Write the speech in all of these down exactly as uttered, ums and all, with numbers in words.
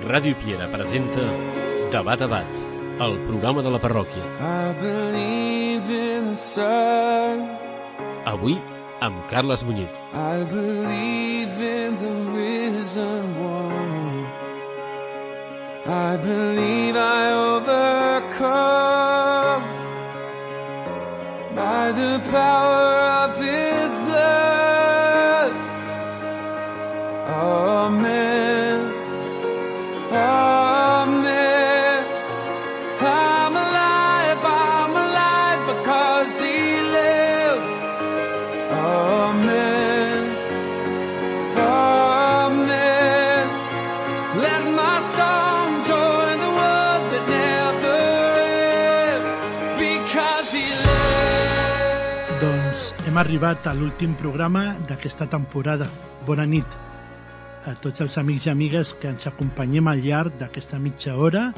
Ràdio Piera presenta Debat a Bat, el programa de la parròquia. Avui amb Carles Muñiz. I believe in the risen one. I believe I overcome by the power of his blood. Amen. Amen. I'm alive, I'm alive because he lives. Amen. Amen. Let my song join the world that never ends because he lives. Doncs hem arribat a l'últim programa d'aquesta temporada. Bona nit a tots els amics i amigues que ens acompanyem al llarg d'aquesta mitja hora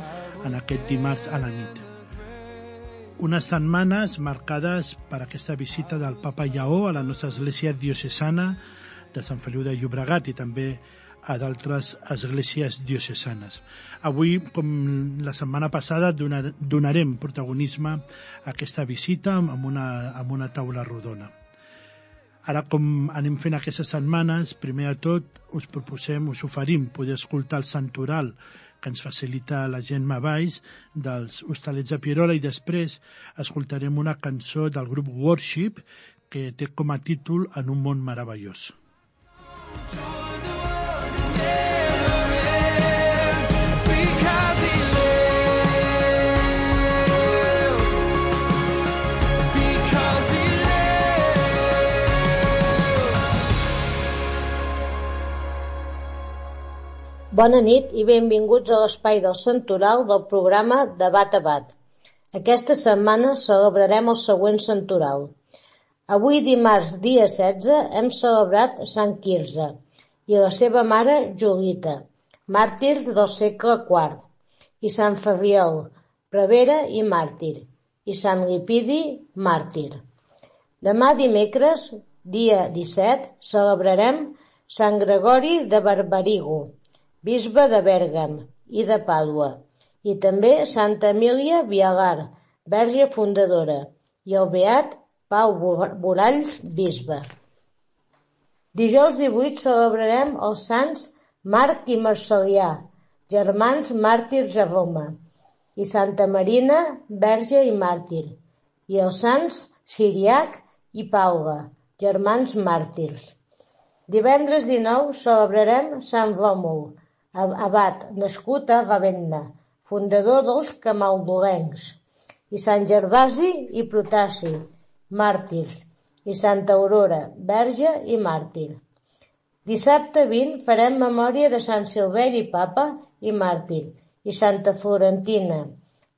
en aquest dimarts a la nit. Unes setmanes marcades per aquesta visita del Papa Lleó a la nostra església diocesana de Sant Feliu de Llobregat i també a d'altres esglésies diocesanes. Avui, com la setmana passada, donar, donarem protagonisme a aquesta visita amb una, amb una taula rodona. Ara, com anem fent aquestes setmanes, primer de tot us proposem, us oferim poder escoltar el santoral que ens facilita la Gemma Valls dels Hostalets de Pierola i després escoltarem una cançó del grup Worship que té com a títol En un món meravellós. Bona nit i benvinguts a l'espai del santoral del programa Debat a Bat. Aquesta setmana celebrarem el següent santoral. Avui, dimarts, dia setze, hem celebrat Sant Quirze i la seva mare Julita, màrtir del segle quart, i Sant Ferriol, prevere i màrtir, i Sant Lipidi, màrtir. Demà, dimecres, dia disset, celebrarem Sant Gregori de Barbarigo, bisbe de Bèrgam i de Pàdua, i també Santa Emília Vialar, verge fundadora, i el beat Pau Boralls, bisbe. Dijous divuit celebrarem els sants Marc i Marcelià, germans màrtirs a Roma, i Santa Marina, verge i màrtir, i els sants Siriac i Paula, germans màrtirs. Divendres dinou celebrarem Sant Ròmul, abat, nascut a Ravenna, fundador dels camaldulencs, i Sant Gervasi i Protaci, màrtirs, i Santa Aurora, verge i màrtir. Dissabte vint farem memòria de Sant Silveri, papa i màrtir, i Santa Florentina,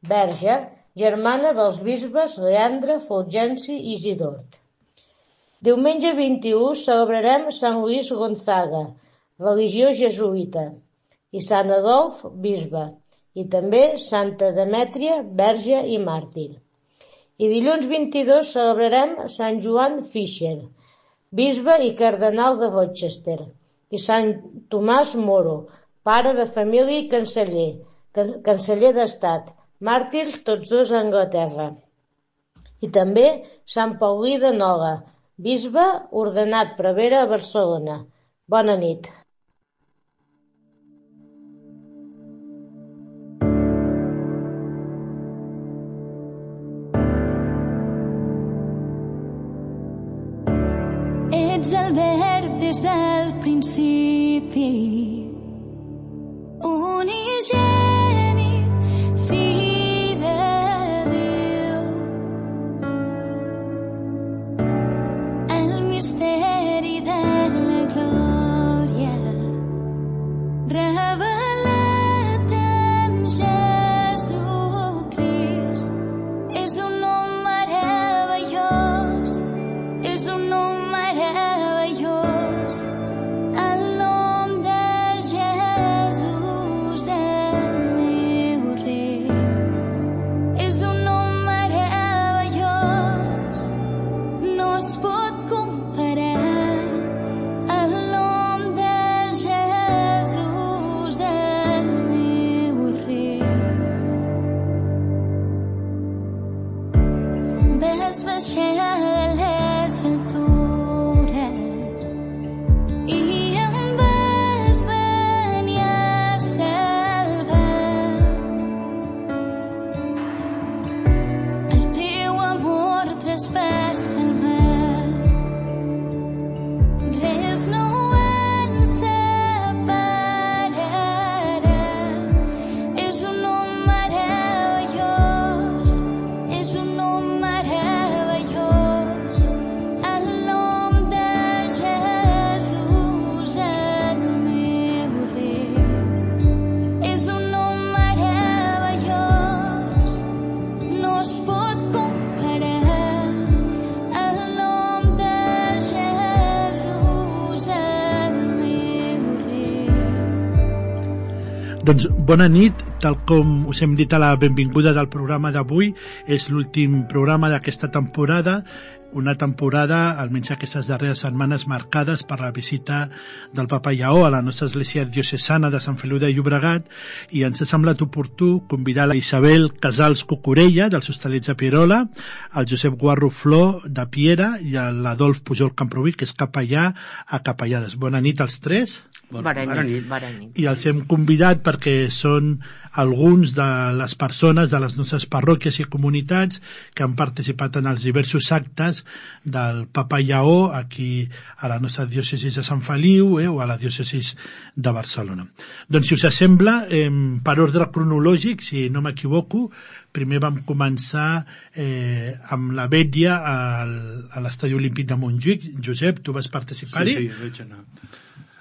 verge, germana dels bisbes Leandre, Fulgenci i Isidort. Diumenge vint-i-u celebrarem Sant Luís Gonzaga, religió jesuïta, i Sant Adolf, bisbe, i també Santa Demètria, verge i màrtir. I dilluns vint-i-dos celebrarem Sant Joan Fisher, bisbe i cardenal de Rochester, i Sant Tomàs Moro, pare de família i canceller, canceller d'estat, màrtirs tots dos a Anglaterra. I també Sant Paulí de Nola, bisbe ordenat prevere a Barcelona. Bona nit. Ets el verb des del principi, unigènit, fill de Déu. El misteri de la glòria revelat en Jesucrist. És un nom meravellós, és un nom meravellós, el nom de Jesús, el meu rei. És un nom meravellós, no es pot comparar el nom de Jesús, el meu Doncs bona nit, tal com us hem dit a la benvinguda del programa d'avui, és l'últim programa d'aquesta temporada, una temporada, almenys aquestes darreres setmanes, marcades per la visita del Papa Lleó a la nostra església diocesana de Sant Feliu de Llobregat, i ens ha semblat oportú convidar la Isabel Casals Cucurella, dels Hostalets de Pierola, el Josep Guarro Flor de Piera i l'Adolf Pujol Camproví, que és capellà a Capellades. Bona nit als tres. Bona, bona nit, bona nit. I els hem convidat perquè són alguns de les persones de les nostres parròquies i comunitats que han participat en els diversos actes del Papa Lleó aquí a la nostra diòcesi de Sant Feliu eh, o a la diòcesi de Barcelona. Doncs si us sembla, eh, per ordre cronològic, si no m'equivoco, primer vam començar eh, amb la vetlla al, a l'Estadi Olímpic de Montjuïc. Josep, tu vas participar-hi? Sí, sí, vaig anar.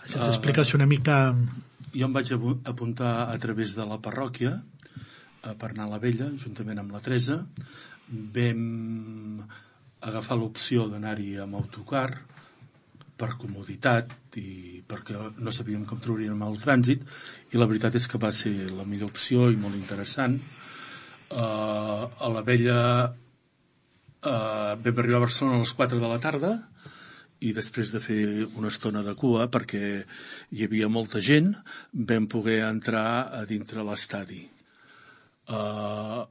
Si ens expliques una mica... Jo em vaig apuntar a través de la parròquia per anar a la vella, juntament amb la Teresa. Vam agafar l'opció d'anar-hi amb autocar per comoditat i perquè no sabíem com trobaríem el trànsit, i la veritat és que va ser la millor opció i molt interessant. Uh, a la vella uh, vam arribar a Barcelona a les quatre de la tarda, i després de fer una estona de cua, perquè hi havia molta gent, vam poder entrar a dintre l'estadi. Uh,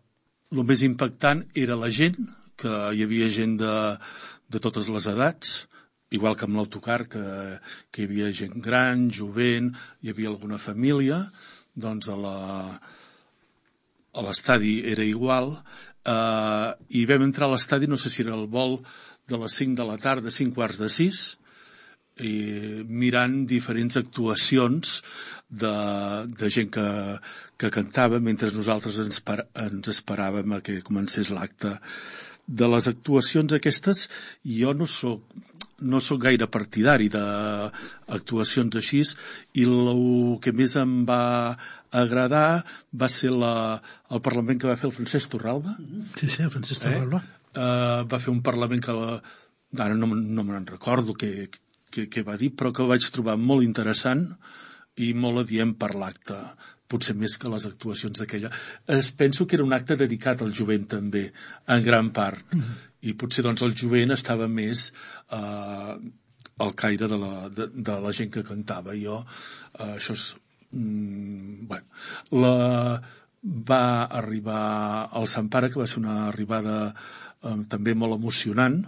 el més impactant era la gent, que hi havia gent de, de totes les edats, igual que amb l'autocar, que, que hi havia gent gran, jovent, hi havia alguna família, doncs a la, a l'estadi era igual, uh, i vam entrar a l'estadi, no sé si era el vol de les cinc de la tarda, cinc quarts de sis, i mirant diferents actuacions de, de gent que, que cantava mentre nosaltres ens, par, ens esperàvem a que comencés l'acte. De les actuacions aquestes, jo no soc, no soc gaire partidari d'actuacions així, i el que més em va agradar va ser la, el Parlament que va fer el Francesc Torralba. Sí, sí, el Francesc Torralba. Eh? Uh, va fer un Parlament que la, ara no, no me'n recordo què, què, què va dir, però que vaig trobar molt interessant i molt adient per l'acte, potser més que les actuacions d'aquella. Es penso que era un acte dedicat al jovent també, en gran part, mm-hmm. i potser doncs el jovent estava més uh, al caire de la, de, de la gent que cantava. Jo, uh, això és... Mm, bueno, la, va arribar al Sant Pare, que va ser una arribada eh, també molt emocionant,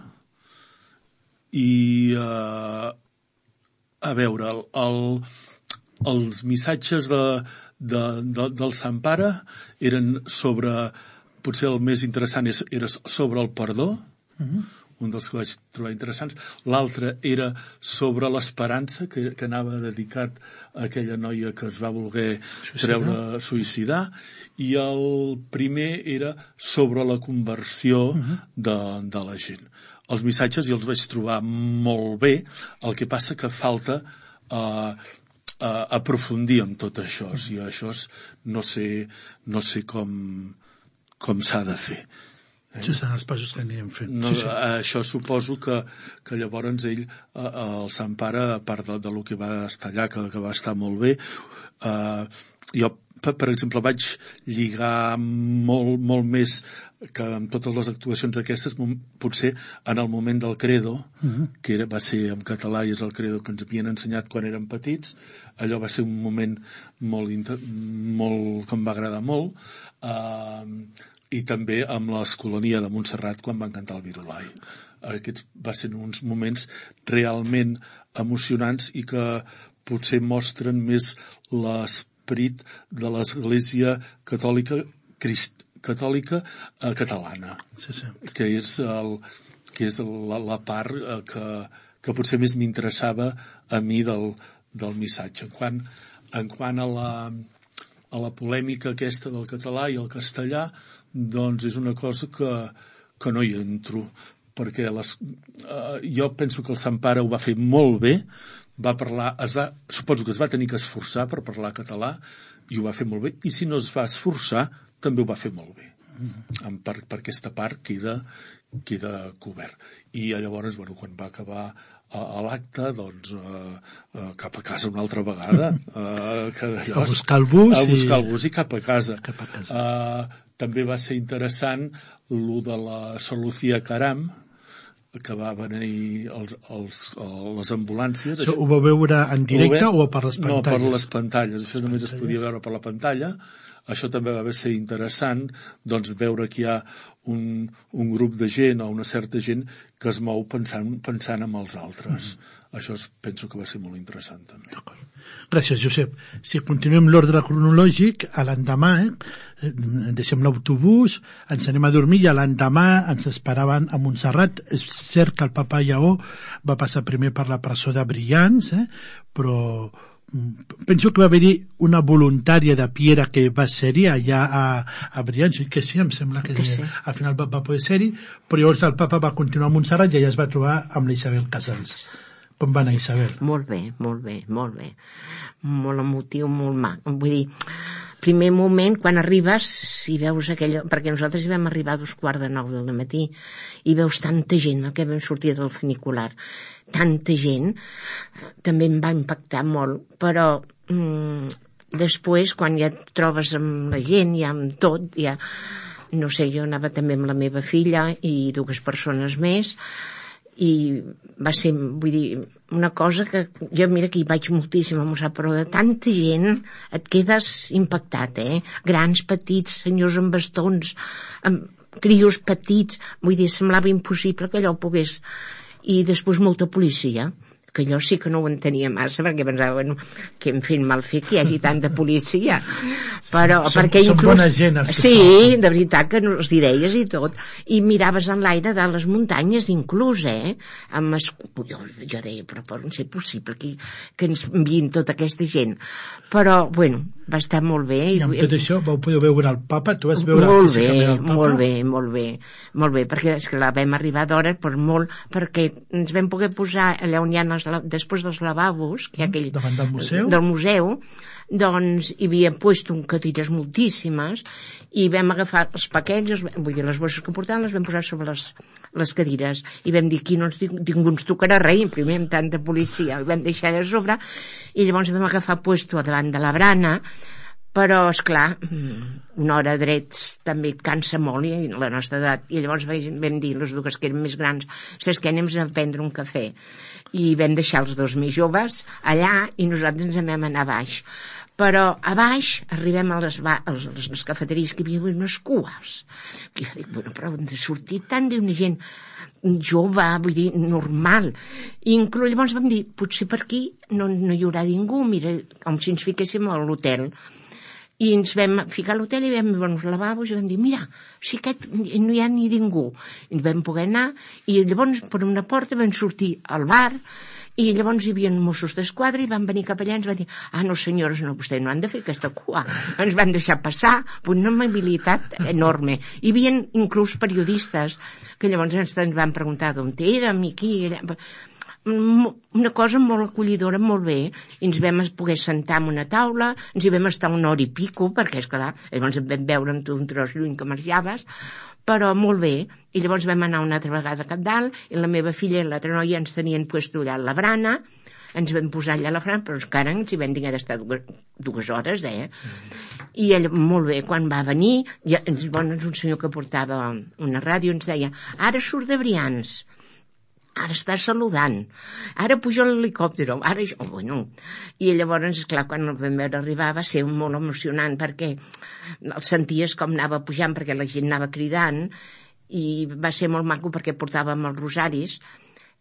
i eh, a veure, el, el, els missatges de, de, de, del Sant Pare eren sobre, potser el més interessant és, era sobre el perdó, uh-huh. un dels que vaig trobar interessants. L'altre era sobre l'esperança, que, que anava dedicat a aquella noia que es va voler suïcidar. treure suïcidar, i el primer era sobre la conversió uh-huh. de, de la gent. Els missatges jo els vaig trobar molt bé, el que passa que falta uh, uh, aprofundir en tot això, uh-huh. i això és, no sé, no sé com, com s'ha de fer. Això són els passos que anirem fent. No, sí, sí. Això suposo que, que llavors ell, el Sant Pare, a part de, de lo que va estar allà, que, que va estar molt bé, eh, jo, per, per exemple, vaig lligar molt, molt més que amb totes les actuacions aquestes, potser en el moment del credo, uh-huh. que era, va ser en català i és el credo que ens havien ensenyat quan érem petits. Allò va ser un moment molt, molt que em va agradar molt, eh, i també amb l'Escolania de Montserrat quan van cantar el Virolai. Aquests van ser uns moments realment emocionants i que potser mostren més l'esperit de l'Església catòlica, crist, catòlica eh, catalana, sí, sí. que és, el, que és la, la part eh, que, que potser més m'interessava a mi del, del missatge. En quant, en quant a la... a la polèmica aquesta del català i el castellà, doncs és una cosa que, que no hi entro, perquè les, eh, jo penso que el Sant Pare ho va fer molt bé, va parlar, es va, suposo que es va tenir que esforçar per parlar català, i ho va fer molt bé, i si no es va esforçar, també ho va fer molt bé. en per, per aquesta part queda, queda cobert. I llavors, bueno, quan va acabar a, a l'acte, doncs eh, eh, cap a casa una altra vegada. Eh, que a buscar el bus. A buscar el bus i cap a casa. Cap a casa. Eh, també va ser interessant lo de la Solucia Caram, que va venir els, els, les ambulàncies. Això ho vau veure en directe o per les pantalles? No, per les pantalles. Això només es podia veure per la pantalla. Això també va ser interessant, doncs, veure que hi ha un, un grup de gent o una certa gent que es mou pensant, pensant en els altres. Mm. Això es, penso que va ser molt interessant, també. D'acord. Gràcies, Josep. Si continuem l'ordre cronològic, a l'endemà, eh, deixem l'autobús, ens anem a dormir i a l'endemà ens esperaven a Montserrat. És cert que el papa Lleó va passar primer per la presó de Brians, eh, però penso que va haver-hi una voluntària de Piera que va ser-hi allà a, a Brians, que sí, em sembla que, que sí. Al final va, va poder ser-hi, però llavors el papa va continuar a Montserrat i allà es va trobar amb la Isabel Casals. Com va anar, Isabel? Molt bé, molt bé, molt bé. Molt emotiu, molt mac. Vull dir, primer moment, quan arribes, si veus aquella... Perquè nosaltres hi vam arribar a dos quarts de nou del matí i veus tanta gent, el que vam sortir del funicular, tanta gent, també em va impactar molt, però mmm, després, quan ja et trobes amb la gent, ja amb tot, ja... No sé, jo anava també amb la meva filla i dues persones més, i va ser, vull dir, una cosa que jo, mira que hi vaig moltíssim a Mossà, però de tanta gent et quedes impactat, eh? Grans, petits, senyors amb bastons, amb crios petits, vull dir, semblava impossible que allò pogués... I després molta policia, que allò sí que no ho entenia massa, perquè pensava, bueno, que hem fet mal fet que hi hagi tanta policia. Però, som, perquè som inclús... bona gent, els que sí, són. de veritat, que els deies i tot. I miraves en l'aire de les muntanyes, inclús, eh? Amb escu... jo, jo deia, però pot ser possible que, que ens enviïn tota aquesta gent. Però, bueno, va estar molt bé. I amb tot això vau poder veure el papa? Tu vas veure molt bé, el papa? molt bé, molt bé, molt bé, perquè és que la vam arribar d'hora per molt, perquè ens vam poder posar allà on hi ha els, després dels lavabos, que hi ha aquell... Davant del museu? Del museu, doncs hi havia puesto un cadires moltíssimes i vam agafar els paquets, els, vull dir, les bosses que portaven les vam posar sobre les, les cadires i vam dir, aquí no ens, ningú ens tocarà res, primer amb tanta policia, el vam deixar allà a sobre i llavors vam agafar puesto davant de la brana, però, esclar, una hora drets també et cansa molt i la nostra edat, i llavors vam dir, les dues que eren més grans, saps què, anem a prendre un cafè, i vam deixar els dos més joves allà i nosaltres ens vam anar a baix. Però a baix arribem a les, ba a les, les cafeteries que hi havia unes cues. I jo dic, bueno, però on ha sortit tant d'una gent jove, vull dir, normal. I inclús llavors vam dir, potser per aquí no, no hi haurà ningú, mira, com si ens fiquéssim a l'hotel. I ens vam ficar a l'hotel i vam veure els lavabos i vam dir, mira, si aquest no hi ha ni ningú. I ens vam poder anar i llavors per una porta vam sortir al bar i llavors hi havia Mossos d'Esquadra i van venir cap allà i ens van dir, ah, no senyores, no, vostès no han de fer aquesta cua. Ens van deixar passar, una amabilitat enorme. Hi havia inclús periodistes que llavors ens van preguntar d'on érem i qui... Una cosa molt acollidora, molt bé, i ens vam poder sentar en una taula, ens hi vam estar una hora i pico, perquè, esclar, llavors em vam veure amb tu un tros lluny que marxaves, però molt bé, i llavors vam anar una altra vegada cap dalt, i la meva filla i l'altra noia ens tenien puesto allà a la brana, ens vam posar allà a la brana, però encara ens hi vam tinguer d'estar dues, dues hores, eh? I ell, molt bé, quan va venir, ja, ens, bueno, un senyor que portava una ràdio ens deia, ara surt de Brians, ara està saludant, ara puja l'helicòpter, ara jo, bueno. I llavors, esclar, quan el vam veure arribar va ser molt emocionant perquè el senties com anava pujant perquè la gent anava cridant i va ser molt maco perquè portàvem els rosaris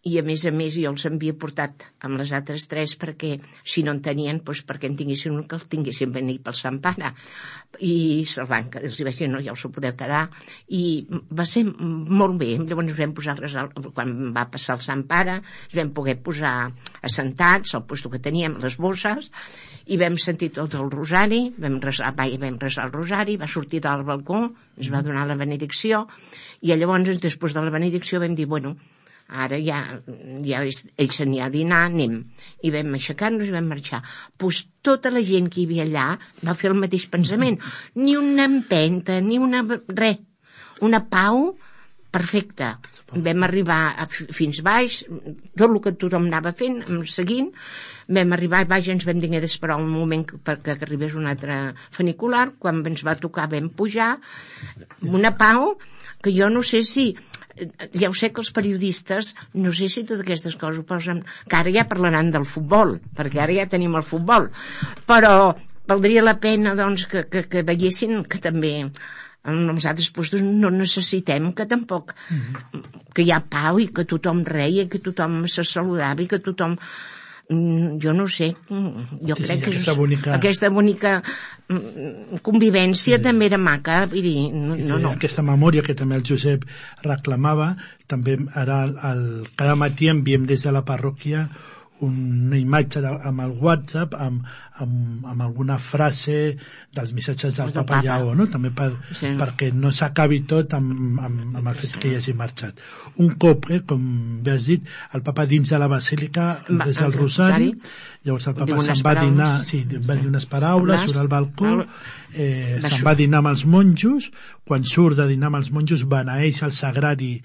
i a més a més jo els havia portat amb les altres tres perquè si no en tenien, doncs perquè en tinguessin un que els tinguessin venir pel Sant Pare i se'l van, els vaig dir no, ja us ho podeu quedar i va ser molt bé. Llavors ens vam posar quan va passar el Sant Pare ens vam poder posar assentats al lloc que teníem, les bosses i vam sentir tot el rosari vam resar, vam resar el rosari, va sortir del balcó, ens va donar la benedicció i llavors després de la benedicció vam dir, bueno, ara ja, ja ell s'anirà a dinar, anem. I vam aixecar-nos i vam marxar. Pues tota la gent que hi havia allà va fer el mateix pensament. Ni una empenta, ni una... res. una pau perfecta. Vam arribar a, fins baix, tot el que tothom anava fent, seguint, vam arribar a baix i ens vam dir d'esperar un moment perquè arribés un altre funicular. Quan ens va tocar vam pujar, una pau que jo no sé si, ja ho sé que els periodistes, no sé si totes aquestes coses ho posen, que ara ja parlaran del futbol, perquè ara ja tenim el futbol, però valdria la pena doncs, que, que, que veiessin que també en els altres puestos no necessitem que tampoc mm-hmm. que hi ha pau i que tothom reia i que tothom se saludava i que tothom jo no sé jo sí, crec sí, que aquesta bonica, aquesta bonica convivència sí. també era maca vull dir, no, no, no. Aquesta memòria que també el Josep reclamava també ara el, el, cada matí enviem des de la parròquia una imatge de, amb el WhatsApp amb, amb, amb alguna frase dels missatges del Papa, Papa Lleó, no? També per, sí. perquè no s'acabi tot amb, amb, amb el fet sí. que hi hagi marxat. Un cop, eh, com bé has dit, el Papa dins de la basílica resa el rosari, llavors el Papa se'n va dinar, sí, va dir unes paraules, surt al balcó, eh, se'n va dinar amb els monjos, quan surt de dinar amb els monjos beneeix el sagrari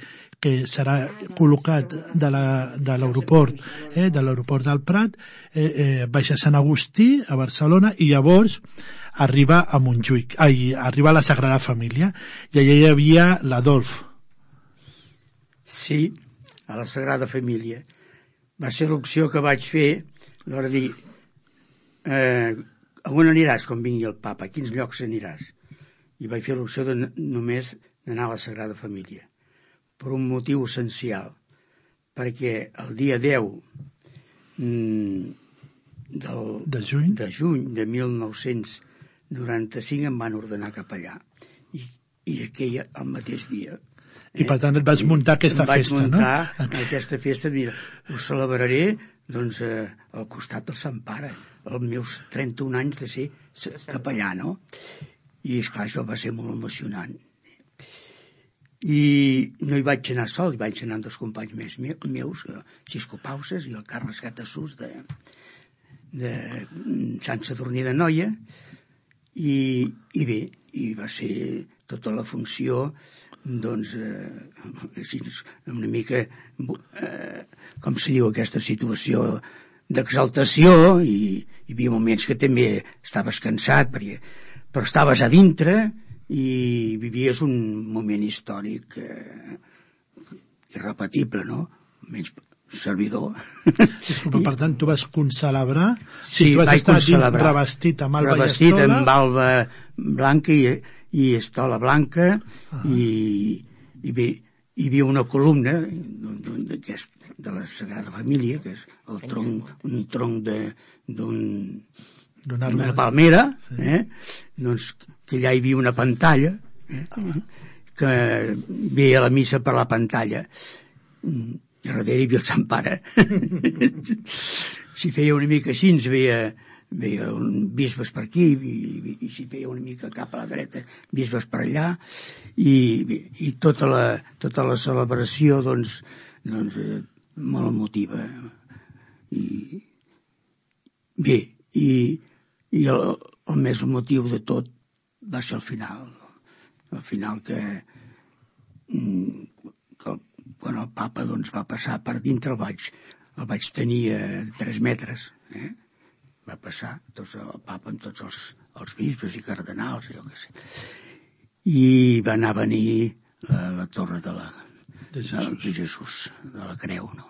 que serà col·locat de l'aeroport eh, de l'aeroport del Prat, eh, eh, baixa a Sant Agustí, a Barcelona, i llavors arriba a Montjuïc, ai, arriba a la Sagrada Família, i allà hi havia l'Adolf. Sí, a la Sagrada Família. Va ser l'opció que vaig fer, l'hora de dir, eh, a on aniràs quan vingui el papa, a quins llocs aniràs? I vaig fer l'opció de només d'anar a la Sagrada Família. Per un motiu essencial, perquè el dia deu mm, del, de, juny? de juny de mil nou-cents noranta-cinc em van ordenar capellà i, i aquell el mateix dia i per tant et vas muntar aquesta festa, no? Em vaig muntar aquesta festa, mira, ho celebraré doncs eh, al costat del Sant Pare, els meus trenta-un anys de ser capellà, no? I esclar, això va ser molt emocionant. I no hi vaig anar sol, hi vaig anar amb dos companys més meus, Xisco Pauses i el Carles Gatassús de, de Sant Sadurní de Noia, i, i bé, i va ser tota la funció, doncs, eh, així, una mica, eh, com se diu, aquesta situació d'exaltació, i hi havia moments que també estaves cansat, perquè, però estaves a dintre, i vivies un moment històric eh, irrepetible, no? Menys servidor. Disculpa, I... per tant, tu vas concelebrar? Sí, tu vas vaig estar concelebrar. Revestit amb alba revestit i estola? amb alba blanca i, i estola blanca, ah. i, i bé, hi havia una columna de la Sagrada Família, que és el tronc, un tronc d'un d'una palmera, sí. eh? doncs que allà hi havia una pantalla, eh? ah. que veia la missa per la pantalla, i darrere hi havia el Sant Pare. Si feia una mica així, ens veia, veia un bisbes per aquí, i, i, i si feia una mica cap a la dreta, bisbes per allà, i, i tota, la, tota la celebració, doncs, doncs eh, molt emotiva. I bé, i I el, el més emotiu de tot va ser el final. El final que, que quan el papa doncs, va passar per dintre, el vaig, el vaig tenir a tres metres. Eh? Va passar tots, el papa amb tots els, els bisbes i cardenals, jo què sé. I va anar a venir la, la torre de, la, de, Jesús. de Jesús, de la creu. No?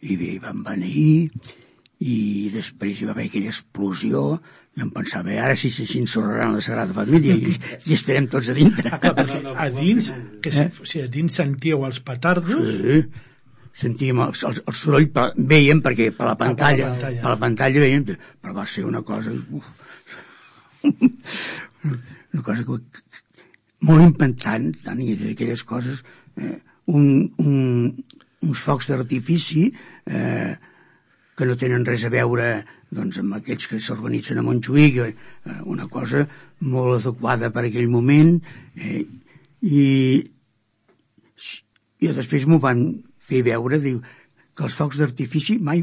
I bé, van venir... i després hi va haver aquella explosió i em pensava, ara sí s'ensorraran la Sagrada Família i, i estarem tots a dintre. Ah, clar, perquè a dins, que si, eh? si a dins sentíeu els petardos... Sí, sentíem el, el, el soroll, per, veiem, perquè per la pantalla, ah, per la pantalla, per la pantalla veiem, però va ser una cosa... Uf, una cosa que, molt impactant, tant i d'aquelles coses, eh, un, un, uns focs d'artifici... Eh, que no tenen res a veure doncs, amb aquells que s'organitzen a Montjuïc, eh, una cosa molt adequada per aquell moment, eh, i, i després m'ho van fer veure, diu, que els focs d'artifici mai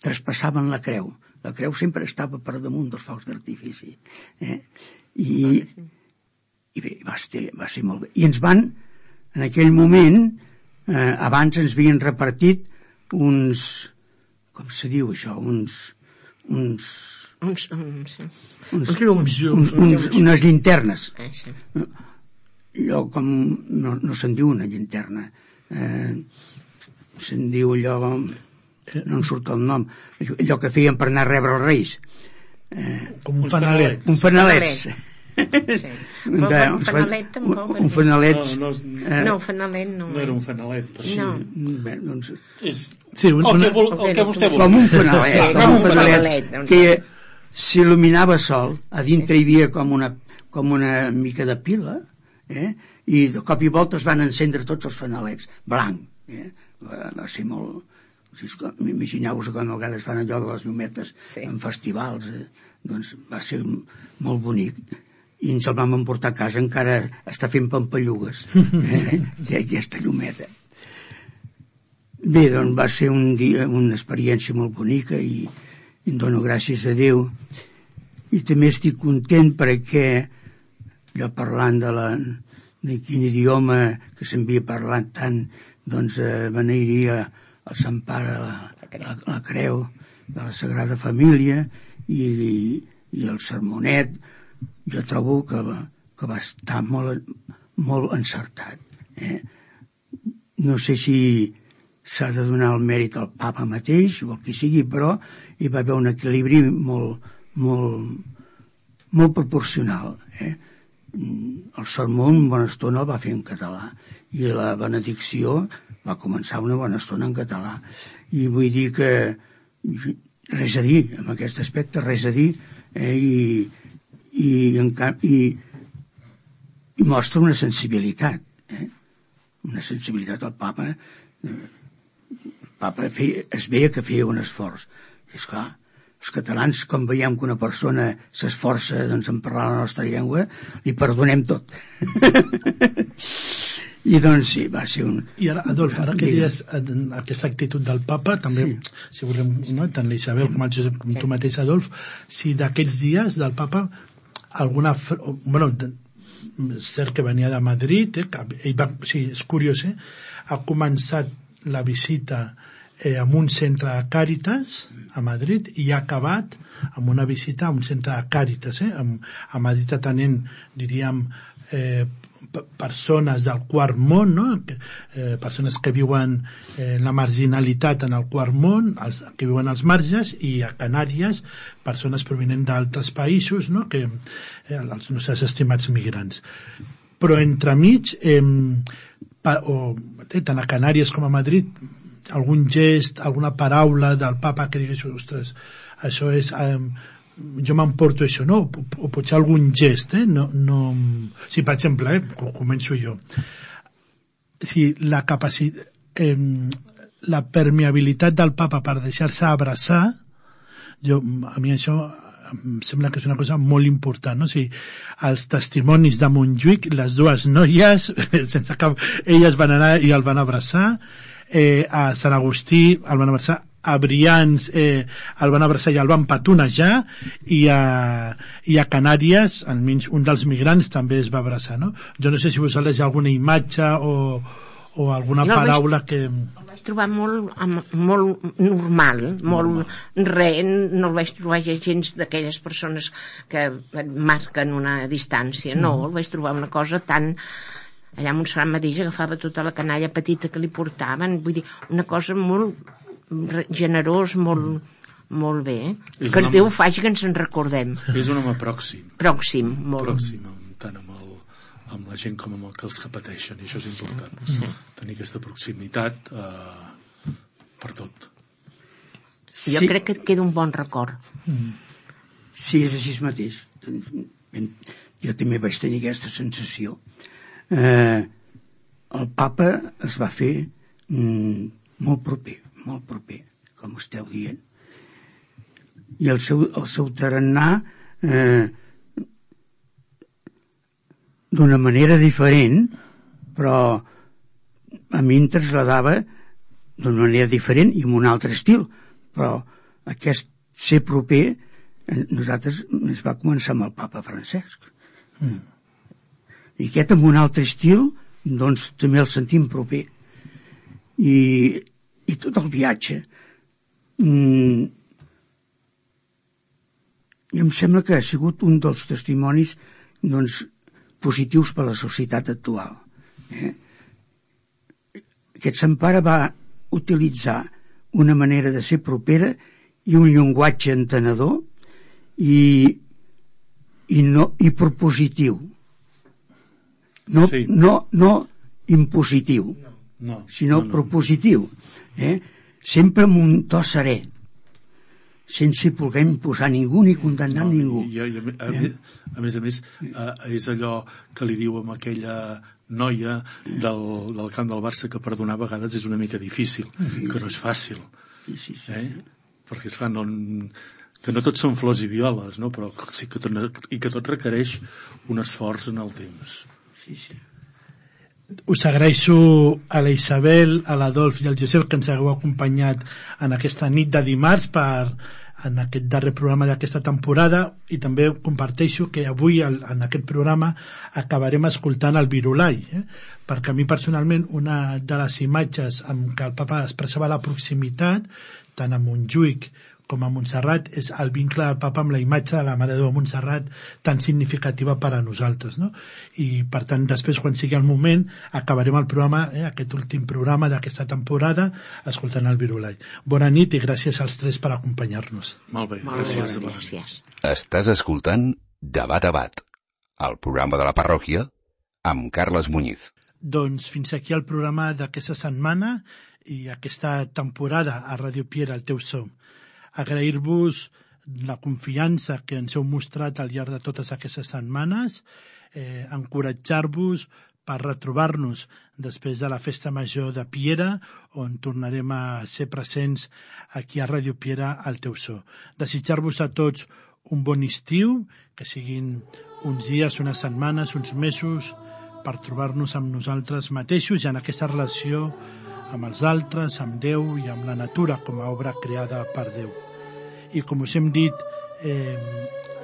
traspassaven la creu. La creu sempre estava per damunt dels focs d'artifici. Eh? I, i bé, va ser, va ser molt bé. I ens van, en aquell moment, eh, abans ens havien repartit uns, com se diu això, uns... uns uns, uns, uns, uns llums. Uns, uns, unes llinternes. Eh, sí. Allò com... No, no se'n diu una llinterna. Eh, se'n diu allò... No em surt el nom. Allò que feien per anar a rebre els reis. Eh, com un fanalet. Un fanalet. Sí. Un fanalet tampoc. Un fanalet. No, no, no, fanalet no. No era un fanalet. Però... No. Bé, doncs... És... Sí, un, el, una... que vol, el que vostè vol. Com un fanalet. Sí, com un fanalet, fanalet doncs. que s'il·luminava sol. A dintre hi havia com una, com una mica de pila, eh? I de cop i volta es van encendre tots els fanalets. Blanc. Eh? Va, va ser molt... Imagineu-vos com a vegades fan allò de les llumetes sí. en festivals, eh? Doncs va ser molt bonic i ens el vam emportar a casa, encara està fent pampallugues eh? sí. aquesta llumeta. Bé, doncs va ser un dia, una experiència molt bonica i, i em dono gràcies a Déu i també estic content perquè jo parlant de, la, de quin idioma que s'havia parlat tant, doncs eh, beneiria el Sant Pare, la, la, la creu de la Sagrada Família i, i, i el sermonet, jo trobo que va, que va estar molt, molt encertat. Eh? No sé si s'ha de donar el mèrit al papa mateix o el que sigui, però hi va haver un equilibri molt, molt, molt proporcional. Eh? El sermó una bona estona el va fer en català i la benedicció va començar una bona estona en català. I vull dir que res a dir, en aquest aspecte, res a dir, eh? I, i, en, i, i mostra una sensibilitat, eh? Una sensibilitat al papa. El papa feia, es veia que feia un esforç. I esclar, els catalans, com veiem que una persona s'esforça doncs, en parlar la nostra llengua, li perdonem tot. I doncs sí, va ser un... I ara, Adolf, ara que dius aquesta actitud del papa, també, sí. si volem, no? tant l'Isabel com el Josep, com sí. tu mateix, Adolf, si d'aquells dies del papa, alguna... Bueno, cert que venia de Madrid, eh, que ell va, sí, és curiós, eh? Ha començat la visita eh, en un centre de Càritas a Madrid i ha acabat amb una visita a un centre de Càritas, eh? A Madrid atenent, diríem, eh, persones del quart món, no? eh, persones que viuen eh, la marginalitat en el quart món, els, que viuen als marges, i a Canàries persones provenents d'altres països, no? Que, eh, els nostres estimats migrants. Però entremig, eh, pa, o, eh, tant a Canàries com a Madrid, algun gest, alguna paraula del papa que digués, ostres, això és... Eh, jo m'emporto això, no? O, o potser algun gest, eh? No, no... Sí, per exemple, eh? Començo jo. Sí, la capacitat... Eh, la permeabilitat del papa per deixar-se abraçar, jo, a mi això em sembla que és una cosa molt important, no? O sigui, els testimonis de Montjuïc, les dues noies, sense cap... elles van anar i el van abraçar, eh, a Sant Agustí el van abraçar, a Brians eh, el van abraçar i el van petonejar, i a, i a Canàries almenys un dels migrants també es va abraçar, no? Jo no sé si vosaltres hi ha alguna imatge o, o alguna no, paraula vaig, que... El vaig trobar molt, molt normal, molt re, no el vaig trobar gens d'aquelles persones que marquen una distància, no, mm. el vaig trobar una cosa tan... Allà Montserrat mateix agafava tota la canalla petita que li portaven, vull dir, una cosa molt generós, molt, molt bé, eh? Que home, Déu faci que ens en recordem. És un home pròxim. Pròxim, molt. Pròxim, tant amb, el, amb la gent com amb el que els que pateixen, i això és important. Sí, sí. Tenir aquesta proximitat eh, per tot. Sí. Jo crec que et queda un bon record. Mm. Sí, és així mateix. Jo també vaig tenir aquesta sensació. Eh, el papa es va fer mm, molt proper, molt proper, com esteu dient. I el seu, el seu tarannà eh, d'una manera diferent, però a mi em trasladava d'una manera diferent i amb un altre estil, però aquest ser proper nosaltres ens va començar amb el papa Francesc. Mm. I aquest amb un altre estil, doncs també el sentim proper. I, i tot el viatge. Mm, I em sembla que ha sigut un dels testimonis doncs, positius per a la societat actual. Eh? Aquest Sant Pare va utilitzar una manera de ser propera i un llenguatge entenedor i, i, no, i propositiu. No, sí. no, no impositiu, no, sinó no, no. propositiu. Eh? Sempre amb un to serè, sense voler imposar ningú ni condemnar no, ningú. I, i, a, a, eh? a més a més, eh, és allò que li diu amb aquella noia del, del camp del Barça que perdonar a vegades és una mica difícil, sí, que no és fàcil. Sí, sí, sí. Eh? Perquè, esclar, no, que no tot són flors i violes, no? Però sí que tot, i que tot requereix un esforç en el temps. Sí, sí. Us agraeixo a la Isabel, a l'Adolf i al Josep que ens hagueu acompanyat en aquesta nit de dimarts per, en aquest darrer programa d'aquesta temporada, i també comparteixo que avui en aquest programa acabarem escoltant el Virolai, eh? Perquè a mi personalment una de les imatges amb què el papa expressava la proximitat tant a Montjuïc com a Montserrat és el vincle del papa amb la imatge de la Mare de Déu de Montserrat tan significativa per a nosaltres, no? I per tant després quan sigui el moment acabarem el programa, eh, aquest últim programa d'aquesta temporada escoltant el Virolai. Bona nit i gràcies als tres per acompanyar-nos. Molt bé, Molt gràcies. bé, gràcies. Estàs escoltant Debat a Bat, el programa de la parròquia amb Carles Muñiz. Doncs fins aquí el programa d'aquesta setmana i aquesta temporada a Ràdio Piera, el teu so. Agrair-vos la confiança que ens heu mostrat al llarg de totes aquestes setmanes, eh, encoratjar-vos per retrobar-nos després de la Festa Major de Piera, on tornarem a ser presents aquí a Ràdio Piera al teu so. Desitjar-vos a tots un bon estiu, que siguin uns dies, unes setmanes, uns mesos, per trobar-nos amb nosaltres mateixos i en aquesta relació amb els altres, amb Déu i amb la natura com a obra creada per Déu. I com us hem dit, eh,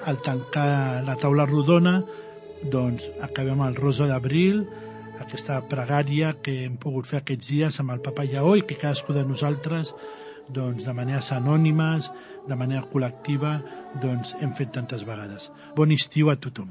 al tancar la taula rodona, doncs acabem el Rosa d'Abril, aquesta pregària que hem pogut fer aquests dies amb el Papa Lleó i que cadascú de nosaltres, doncs, de maneres anònimes, de manera col·lectiva, doncs, hem fet tantes vegades. Bon estiu a tothom.